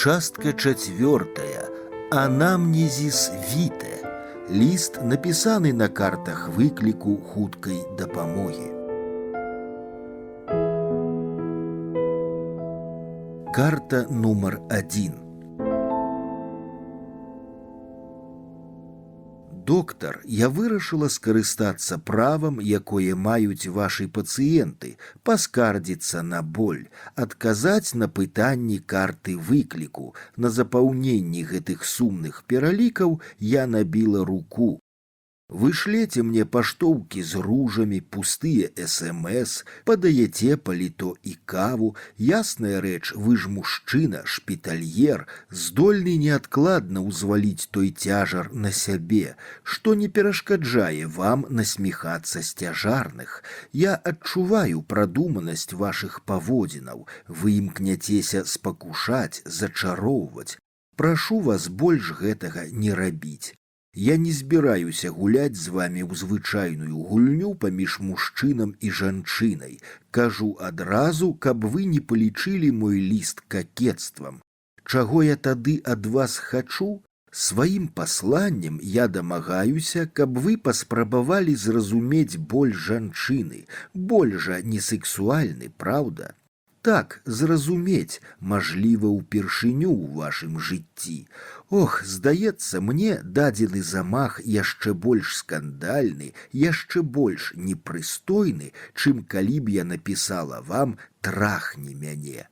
Частка четвертая. Анамнезіс віте. Ліст, напісаны на картах выкліку хуткай дапамогі. Карта нумар 1. Доктар, я вырашыла скарыстацца правам, якое маюць вашы пацыенты, паскардзіцца на боль, адказаць на пытанні карты выкліку. На запаўненні гэтых сумных пералікаў я набіла руку. Вы шлеце мне паштоўкі з ружамі, пустыя СМС, падаяце паліто і каву. Ясная рэч, вы ж мужчына, шпітальер, здольны неадкладна ўзваліць той цяжар на сябе, што не перашкаджае вам насміхацца з цяжарных. Я адчуваю прадуманасць вашых паводзінаў, вы імкняцеся спакушаць, зачароўваць. Прашу вас больш гэтага не рабіць. Я не збіраюся гуляць з вами ў звычайную гульню паміж мужчынам і жанчынай. Кажу адразу, каб вы не палічылі мой ліст какецтвам. Чаго я тады ад вас хачу? Сваім пасланнем я дамагаюся, каб вы паспрабавалі зразумець боль жанчыны. Боль жа не сексуальны, праўда? Так, зразумець, мажліва, упершыню ў вашым жыцці. Ох, здаецца мне, дадзены замах яшчэ больш скандальны, яшчэ больш непрыстойны, чым калі б я напісала вам «трахні мяне».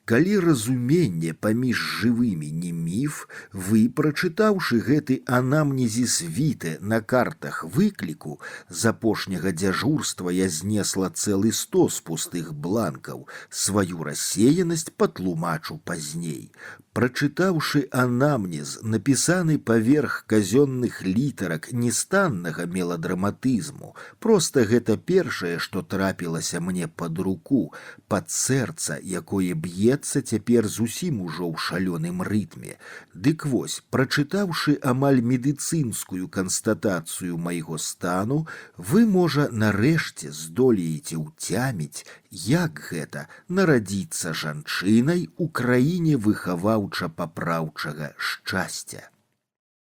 Калі разуменне паміж жывымі не міф, вы, прачытаўшы гэты анамнезіс віте на картах выкліку, з апошняга дзяжурства я знесла цэлы стос пустых бланкаў, сваю рассеянасць патлумачу пазней. Прачытаўшы анамнез, напісаны паверх казённых літарак нестаннага меладраматызму, проста гэта першае, што трапілася мне пад руку, пад сэрца, якое б'ецца цяпер зусім ужо ў шалёным рытме. Дык вось, прачытаўшы амаль медыцынскую канстатацыю майго стану, вы, можа, нарэшце здолееце ўцяміць, як гэта нарадзіцца жанчынай у краіне выхаваўча-папраўчага шчасця.